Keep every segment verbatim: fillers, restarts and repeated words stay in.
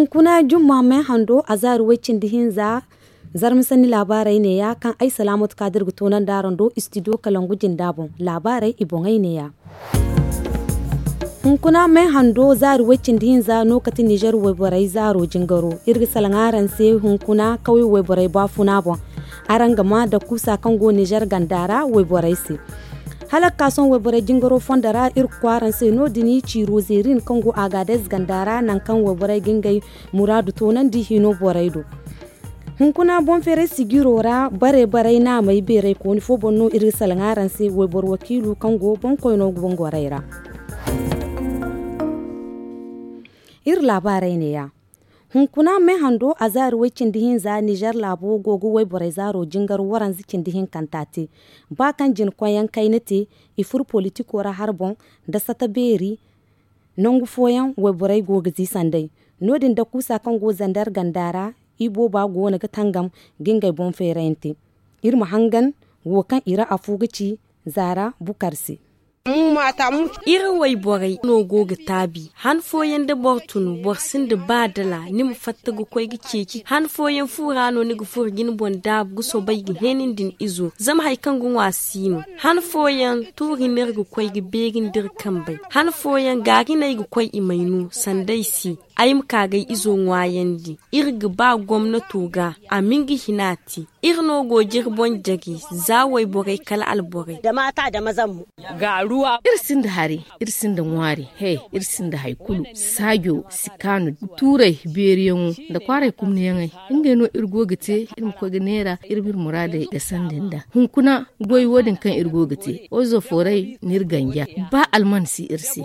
Hunkuna jumma me hando a zaari way-cindi hinza. Zarma sanni laabaarey neeya kaŋ ay salaamatu ka da iri ga toonandi araŋ do istidiyo kalangu jinda boŋ. Laabaarey i boŋey neeya. Hunkuna me hando zaari way-cindi hinza no kati nizer wayborey zaaro jingaro. Iri ga salaŋ araŋ se hunkuna kawye wayborey baafuna boŋ. Araŋ ga maa da kuusa kaŋ go nizer ganda ra wayborey se. Hala ga ka sohõ wayborey jingaro fondo ra iri ga koy araŋ se no- din ciiro zeerin kaŋ go agaadez ganda ra nangu kaŋ wayborey ga ngey muraadu toonandi hino borey do. Hunkuna boŋ feeray sijiro ra bare baray naamay beeray kooni fo boŋ no iri ga salaŋ araŋ se wayboro wakiilu kaŋ go boŋkoyno boŋ gorey ra. Iri laabaarey neeya. Hunkuna me hando a zaari way-cindi hinza nizer laabo go ga wayborey zaaro jingar waranza cindi hinkanta te. Ba kaŋ jina koyyaŋ kayna te, i furo politiko ra har boŋ nda sata beeri. Nangu fooyaŋ wayborey go ga ziisandey. No- din da kuusa kaŋ go zander ganda ra, ibooba go no ga tangam ga ngey boŋ feerayante. Iri ma hangan wo kaŋ i ra afo ga ci zaara bukar se. Iri wayborey no go ga taabi han fooyaŋ da boro tun boro sinda ba dala ni ma fatta ga koy ga ceeci han fooyaŋ fu ra no ni ga furo ga ni boŋ daabu ga soobay ga heenandi ni izo zama hari kaŋ ga ŋwa si no. Han fooyaŋ tuuri no iri ga koy ga beerandi iri kambey han fooyaŋ gaari no ay ga koy i may no sanda ay se. Ay ma ka ga ay izo ŋwaayandi. Iri ga ba gomnato ga a ma nga hina te. Iri no go ga iri boŋ jagi za wayborey kala alborey. Iri sinda hari, iri sinda ŋwaari he, iri sinda hari kulu. Saajo si kaanu tuurey beeriyaŋo nda kwaaray kumniyaŋey. Ngey no iri go ga te iri ma koy ga neera iri ma iri muraadey gasandi nda hunkuna goy wo- din kaŋ iri go ga te ozo fooray no iri ganja. Ba alman si iri se.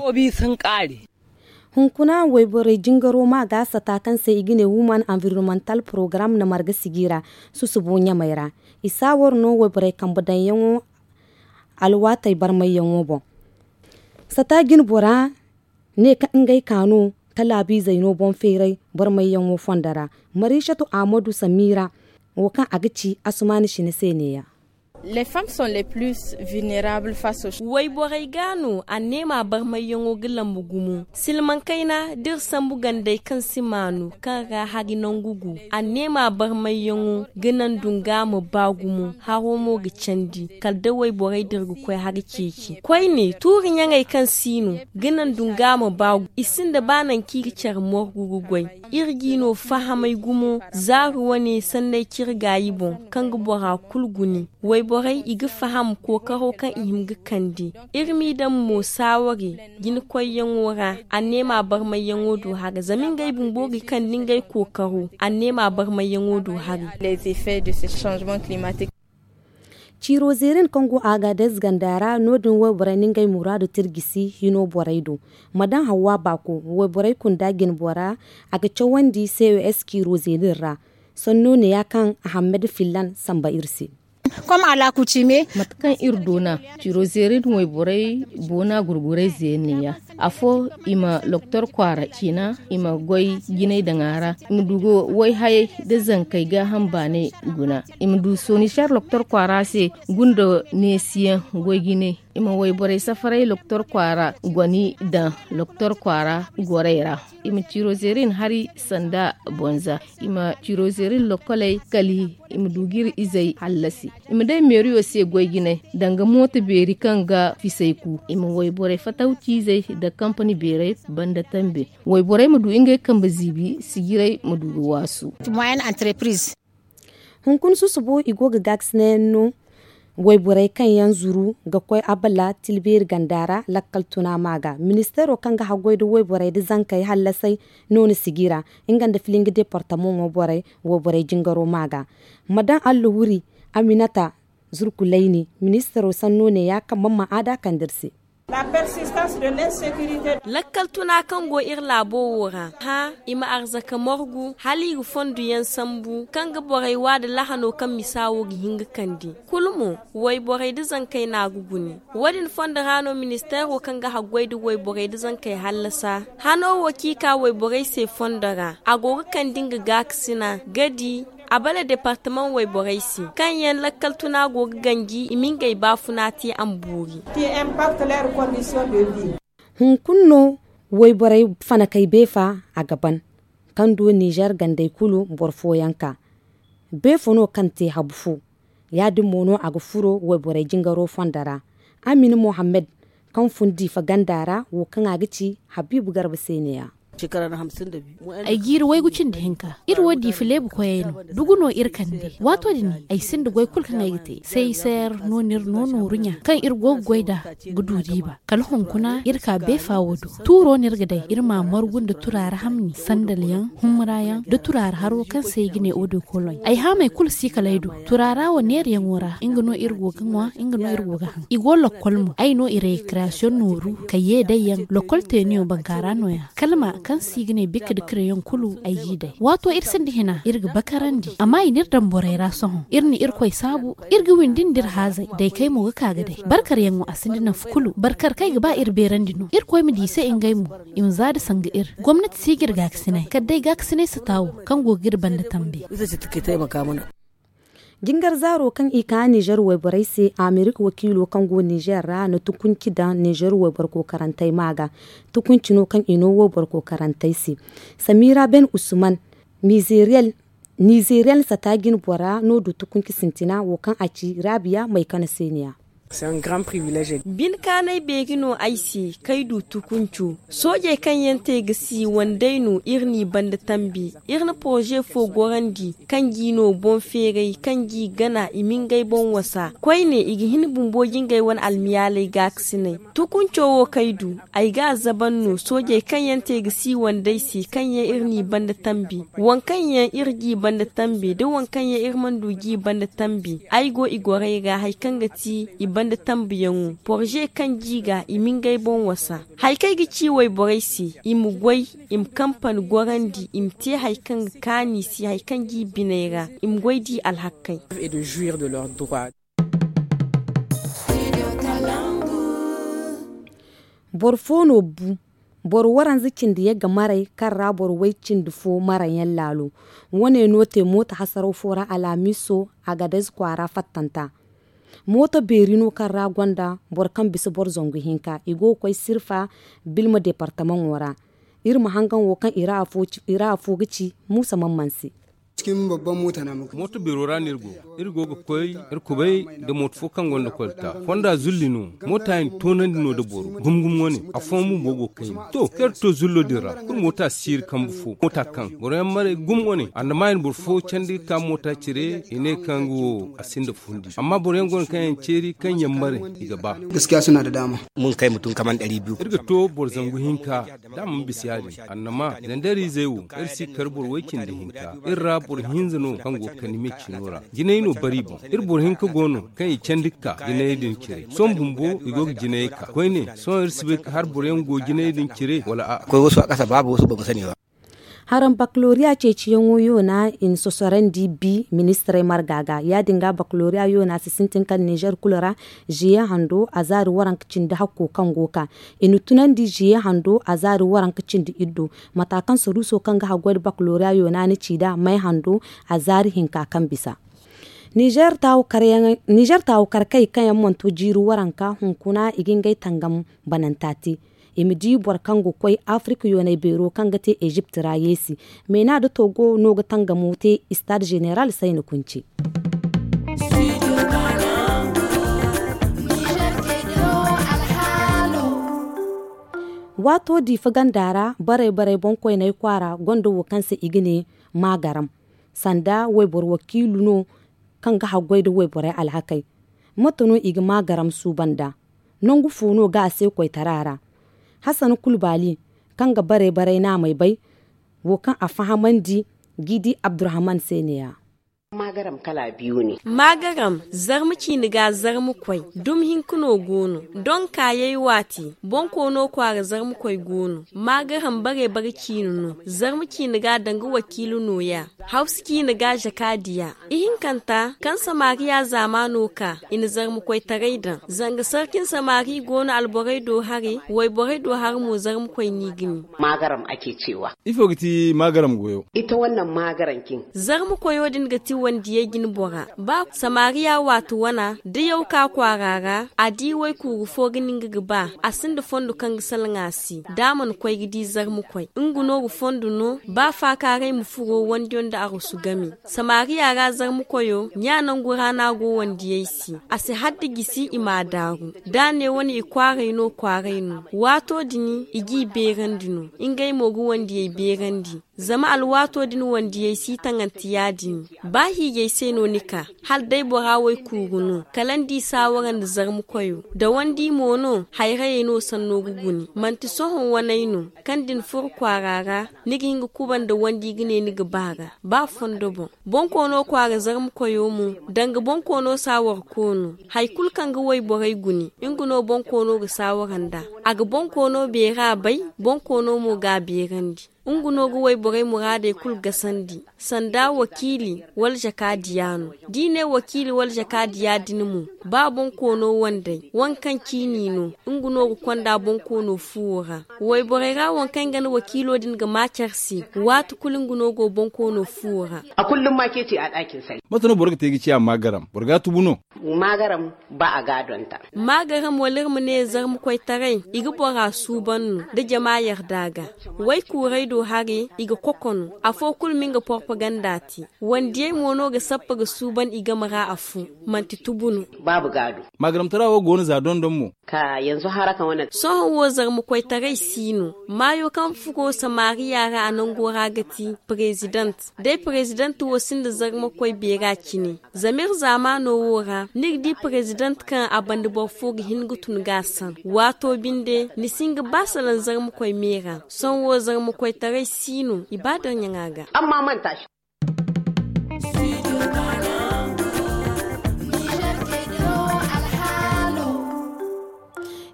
Hunkuna wayborey jingaro ma ga sata kaŋ se i ga ne woman environmental program na marga sijira susubo ɲamey ra. I saawar no wayborey kambe daŋyaŋo alwaatey barmayyaŋo boŋ. Sata jinbora ne kaŋ ngey ka no talaabiizey no boŋ feeray barmayyaŋo fondo ra. Mariisatu ahmadu samiira wo kaŋ a ga ci asumaani sine se neeya. Wayborey ga no anneema barmayyaŋo ga lambu gumo silmaŋ kayna da iri sambu gandey kaŋ si maanu kaŋ ra hari nangu gu. Anneema barmayyaŋo ga naŋ dunga ma ba gumo haro mo ga candi kala da wayborey da iri ga koy hari ceeci koyne tuuri ɲaŋey kaŋ si no ga naŋ dunga ma ba gumo i sinda ba nangu kaŋ i ga care morgu ga goy. Iri g'i no fahamay gumo zaari wane sanney cire gaayi boŋ kaŋ ga bora kulu guni. Wayborey i ga faham kookaro kaŋ i hima ga kande. Iri m'i daŋ mo saawari jinakoyyaŋo ra anneema barmayyaŋo du haray zama ngey bumbo ga kande ngey kookaro anneema barmayyaŋo du haray. Ciiro zeerin kaŋ go agadez ganda ra no- din wayborey na ngey muraadu tirjisi hino borey do. Ma daŋ hawwa baako wayborey kunda jinbora a ga cawandi ces ciiro zeerin ra. Sanno neeya kaŋ ahammed fillan samba iri se. Mate kaŋ iri doona ciiro zeerin wayborey boona gurgurayze yaŋ neeya. Afo i ma loktor kwaara ciina i ma goy jinay daŋ a ra. I ma du ga wayhayey nda zankey gaaham baanay guna. I ma du sooniser loktor kwaara se gunda neesiyaŋ goy jinay. I ma wayborey safaray loktor kwaara goni daŋ loktor kwaara gorey ra. I ma ciiro zeerin hari sanda bonza. I ma ciiro zeerin lokkoley kali i ma du ga iri izey hallasi. I ma day meeriyo se goy jinay danga mooto beeri kaŋ ga fisay ku i ma wayborey fataw ciizey nda kampani beerey banda tambe. Wayborey ma du ngey kambe ziibi sijiray ma du ga waasu. Hunkuna susubo i go ga gaakasinayaŋ no. Wayborey kaŋ yaŋ zuru ga koy abala tilbeeri ganda ra lakkal tuna ma ga ministeero kaŋ ga haggoy nda wayborey nda zankey hallasay no na sijira nga nda filinga departamaŋo borey wayborey jingaro ma ga. Ma daŋ allahuri aminata zurkulayni ministeero sanno neeya kaŋ man ma aada kande iri se. Lakkal tuna kaŋ go iri laabo wo ra hã i ma arzaka margu hala i ga fondo yaŋ sambu kaŋ ga borey wa nda lahano kaŋ misa wo ga hin ga kande. Kulu mo wayborey nda zankey no a ga gune. Wo- din fondo ra no ministeero kaŋ ga haggoy nda wayborey nda zankey hallasa hano wo kaŋ i ka wayborey se fondo ra a go ga kande nga gaakasina ga di abala departamaŋ wayborey se kaŋ yaŋ lakkal tuna go ga ganji i ma ngey baafuna te a ma boori. Hunkuna no wayborey fanakey beefa a ga ban. kaŋ du nizer gandey kulu boro fooyaŋ ka. Beefo no kaŋ te habu fo. Ya-din mo no a ga furo wayborey jingaro fondo ra. Amin mohammed, kaŋ fun diifa ganda ra wo kaŋ a ga ci habiibu garba se ne- ya. Ay jiiri waygu cindi hinka. Iri wo diifa leebu koyey no. Dugu no iri kande waato din ay sinda goy kulu kaŋ ay ga te. Sayser no no iri no nooru ɲa kaŋ iri go ga goy nd'a ga du riiba. Kala hunkuna iri ka beefa wo do. Tuuro no iri ga day iri ma a margu nda turaara hamni sandalyaŋ, humurayaŋ nda turaara haro kaŋ se i ga ne odo koloɲ. Ay haamey kulu si kala ay do. Turaara wo neerayaŋo ra nga no iri go ga ŋwa, nga no iri go ga haŋ. I go lakkol mo ay no i rekreyasoŋ nooru ka ye day yaŋ lakkol teeniyo bankaara no- ya. Kalma kaŋ se i ga ne bikka nda kirayaŋ kulu ay g'i day waato iri sinda hina iri ga bakarandi amma i n'iri daŋ borey ra sohõ iri na irkoy saabu. Iri ga windi nda iri haazey daykey mo ga ka ga day barkaryaŋo a sinda nafa kulu barkar kaŋ ay ga ba iri beerandi no irkoy ma di i se ngey mo. I ma za nda sanga iri gomnati si ga iri gaakasinay kala day gaakasinay sata wo kaŋ go ga iri banda tambe. Jingar zaaro kaŋ i ka nizer wayborey se amerika wakiilo kaŋ go nizer ra na tukunci daŋ nizer wayboro kookarantey ma ga. Tukunci no kaŋ i no wayboro kookarantey se. Samira ben usman, nizeriyel sata jine bora no du tukunci sintina wo kaŋ a ci rabiya maykana se ne- ya. Binkaanay beeri no ay se kay du tukunco. Soojey kaŋ yaŋ te ga si wandey no iri n'i banda tambi. Iri na poroze fo gorandi kaŋ g'i no boŋ feeray kaŋ g'i gana i ma ngey boŋ wasa koyne i ga hin bumbo jingey wane almiyaaley gaakasinay. Tukunco wo kaŋ ay du ay ga a zaban no soojey kaŋ yaŋ te ga si wandey se kaŋ yaŋ iri n'i banda tambi. Waŋ kaŋ yaŋ iri g'i banda tambi nda waŋ kaŋ yaŋ iri mana du g'i banda tambi ay go i gorey ra hari kaŋ ga ti i banda tambiyaŋo poroze kaŋ g'i ga i ma ngey boŋ wasa. Hari kaŋ ay ga ci wayborey se i ma goy i ma kampani gorandi i ma te hari kaŋ ga kaanu i se hari kaŋ g'i biney ra i ma goy d'i alhakey. Boro fo no bu boro waranza cindi yagga maray kaŋ ra boro way cindi fo maray yaŋ laalo. Wane no te mooto hasaraw fo ra alhamiso agadez kwaara fattanta. Mooto beeri no kaŋ ra gonda boro kaŋ bisa boro zangu hinka i go ga koy sirfa bilma departamaŋo ra. Iri ma hangan wo kaŋ i ra afo ga ci muusa man man se. Mooto beero ra no iri go iri go ga koy iri kubay nda mooto fo kaŋ gonda kolta fonda zulli no. Moota yaŋ toonandi no nda boro gum gum wane. Afooyaŋ bumbo go ga kayna to kaŋ iri to zullo din ra kulu moota si iri kambe fo moota kaŋ boro yaŋ maray gum wane annama i na boro fo candi ga ka moota cire i ne kaŋ ga wo a sinda fundi amma boro yaŋ go no kaŋ yaŋ ceeri kaŋ yaŋ maray i ga ba. Gaskiya suna da dama. Mun kay mutum kaman ɗari biyu. Iri ga to boro zangu hinka da a mana bisa ya-din annama zandarizey wo iri si kar boro way cindi hinka. Iri ra boro hinza no kaŋ go ga kande me ciino ra jinay no bari boŋ. Iri boro hinka go no kaŋ i candi ga ka jinayey din cire sohõ bumbo i go ga jinayey ka koyne sohõ iri si bay ka har boro yaŋ go jinayey din cire wala a'a. Koy wasu a kasa babu wasu ba mu sani ba. Haraŋ bakaloriya ceeciyaŋo yoona i na sosorandi bi ministirey marga ga ya-din ga bakaloriya yoona si sintin kala nizer kulu ra. Ziye hando a zaari waranka cindi hakko kaŋ go ka i na tunandi ziye hando a zaari waranka cindi iddo. Mata kaŋ saruuso kaŋ ga haggoy nda bakaloriya yoona na ci nd'a may hando a zaari hinka kaŋ bisa. Nizer taawu karkey kaŋ yaŋ mana to jiiri waranka hunkuna i ga ngey tangam bananta te. I ma di boro kaŋ ga koy afirika yoonay beero kaŋ ga te ezipt ra yeesi. Meena nda togo no ga tangamo te istad zeneral sayna kunci. Waato diifa ganda ra baray baray boŋkoyney kwaara gonda wo kaŋ se i ga ne maagaram. Sanda wayboro wakiilu no kaŋ ga haggoy nda wayborey alhakey. Mate no i ga maagaram suuban nd'a? Nangu fo no ga a se koytara ra? Hasan kulu baali kaŋ ga baray baray naamey bay wo kaŋ a fahamandi g'i di abdurahman se ne- ya. Maagaram zarma ciine ga zarma koy dumi hinka no go no. Donkaayey waati bonkoono kwaara zarma koy go no. Maagaram bare bare ciine no. Zarma ciine ga danga wakiila nooya. Hawsa ciine ga zakaadiya. Ihinkanta kaŋ samariya zaamaano ka i na zarma koytaray daŋ. Zanga sarkin samari go no alborey do hare wayborey do hare mo zarma koy no i ga ne. Maagaram ake ceewa. Ifo ga ti maagaram goyo? Ita wannan maagaram kin. Zarma koyo din ga ti. Wandiyey jine bora ba samariya waati wana da yaw ka kwaara ra a di waykuuru fo ga ni nga ga ba a sinda fondo kaŋ ga salaŋ a se da a mana koy ga di zarma koy nga no ga fondo no ba faakaaray ma furo wandiyo nda arwasu game. Samariya ra zarma koyo ɲa nangu ra no a go wandiyey se a si hadda gisi i m'a daaru da a ne wane i kwaaray no kwaaray no waato din i g'i beerandi no. Ngey mo ga wandiyey beerandi zama alwaato din wandiyey si taŋante ya-din. Ba hiijay se no ni ka hala day bora waykuuru no kala ni di saawara nda zarma koyo da wandi mo no hayrayey no sanno ga guni manti sohõ waney no kaŋ da ni furo kwaara ra ni ga hin ga kuba nda wandi ga ne ni ga ba ga ba fondo boŋ. Boŋ koono kwaara zarma koyo mo danga boŋ koono saawara koono hari kulu kaŋ ga wayborey guni nga no boŋ koono ga saawara nd'a. A ga boŋ koono beera bay boŋ koono mo ga a beerandi. Nga no ga wayborey muraadey kulu gasandi sanda wakiili wala jakaadiya no. Da i ne wakiili wala jakaadiya din mo ba boŋ koono wandey waŋ kaŋ ciini no nga no ga konda boŋ koono fuwo ra. Wayborey ra waŋ kaŋ ga na wakiilo din ga ma care se waati kulu nga no go boŋ koono fuwo ra. Mate no boro ga te ga ciya maagaram boro ga a tubu no? Maagaram ba a ga a donta. Maagaram wala iri ma ne zarma koytaray i ga bora suuban no da jama yarda ga. Waykuurey do hare i ga koko no afo kulu ma nga porpaganda te. Wandiyey mo no ga sappa ga suuban i game ra afo. Manti tubu no. Maagaramtara wo go no za dondon mo. Sohõ wo zarma koytaray si no maayo kaŋ furo samariya ra a nango ra ga ti. Prezident day prezident wo sinda zarma koy beera cine. Zama iri zaamaano wo ra ni ga di prezident kaŋ a banda boro fo ga hin ga tun ga a san waato binde ni si hin ga ba salaŋ zarma koy me ra. Sohõ wo zarma koytaray si no i ba darɲaŋa ga.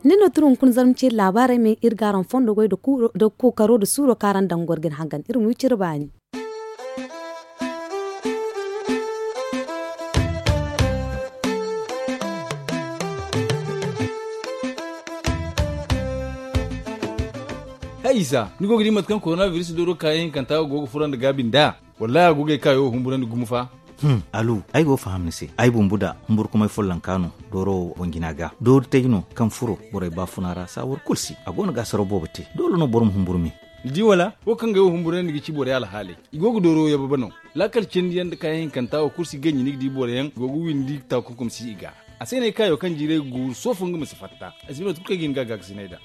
Ni no tun hunkuna zarma ceeri laabaarey me iri ga araŋ fondo goy da kookaro da suuro kaŋ araŋ daŋ goro ga ni hangan iri ma wi cire baani. Hay isa ni go ga di mate kaŋ korona biris dooro kaayaŋ hinkanta go ga furandi gaabi nd'a? Wallahi a go ga ay kaayo wo humburandi gumo fa. Alu, ay go ga faham ni se ay bumbu da humburkumay follonka no. Dooro wo boŋ jina ga doori tay no kaŋ furo borey baafuna ra saawar kulu si a go no ga asaro boobo te doole no boro ma humburu me. Ni di wala wo kaŋ ga ay wo humburandi ga ci borey alhaaley. I go ga dooro wo yababa no. Laakal cindi yaŋ nda kaayaŋ hinkanta wo kulu si ganji ni ga di boro yaŋ go ga windi taakunkum si i ga. A se no ay kaayo kaŋ jiiray ga guuru soofo nga ma si fatta. A si bay mate kulu kaŋ ay ga hin ga a gaakasinay nd'a.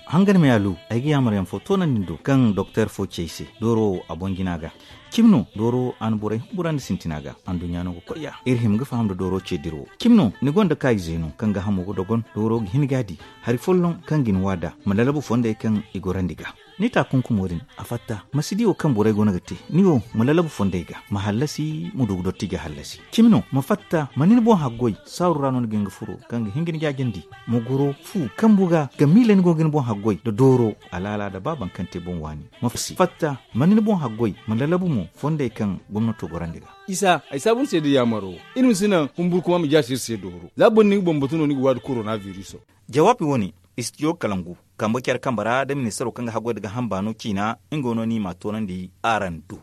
Hangan me alu, ay ga yaamar yaŋ fo toonandi ni do kaŋ doktor fo ci ay se dooro wo a boŋ jina ga. Cimi no dooro wo a na borey humburandi sintina ga. Anduɲɲa no ga koy ya iri hima ga faham nda dooro ce dira wo. Cimi no ni gonda kaayize no kaŋ ga hamo ga dogon dooro ga hin ga a di hari folloŋ kaŋ ga ni waada ma lalabu fondey kaŋ i gorandi ga. Ni taakunkumo din a fatta ma si di wo kaŋ borey go no ga te. Ni wo ma lalabu fondey ga ma hallasi ma du ga dotti ga hallasi. Cimi no ma fatta ma ni ni boŋ haggoy saaru ra no ni ga hin ga furo kaŋ ga hin ga ni jaajandi. Ma goro fu kambu ga ga miila ni go ga ni boŋ haggoy nda dooro alaala nda ba baŋ kaŋ te boŋ waani. Ma fatta ma ni ni boŋ haggoy ma lalabu mo fondey kaŋ gomnato gorandi ga. Isa ay saabu ni se da yaamaro iri ma si naŋ humburkuma ma jaasi iri se dooro za boro ni ga bambatu no ni ga waadi korona viriso. Jawaabi wo-ne istijo kalangu kambe care kambe ra nda ministaro kaŋ ga haggoy nda gaaham baano ciina. Nga no no i m'a toonandi araŋ do.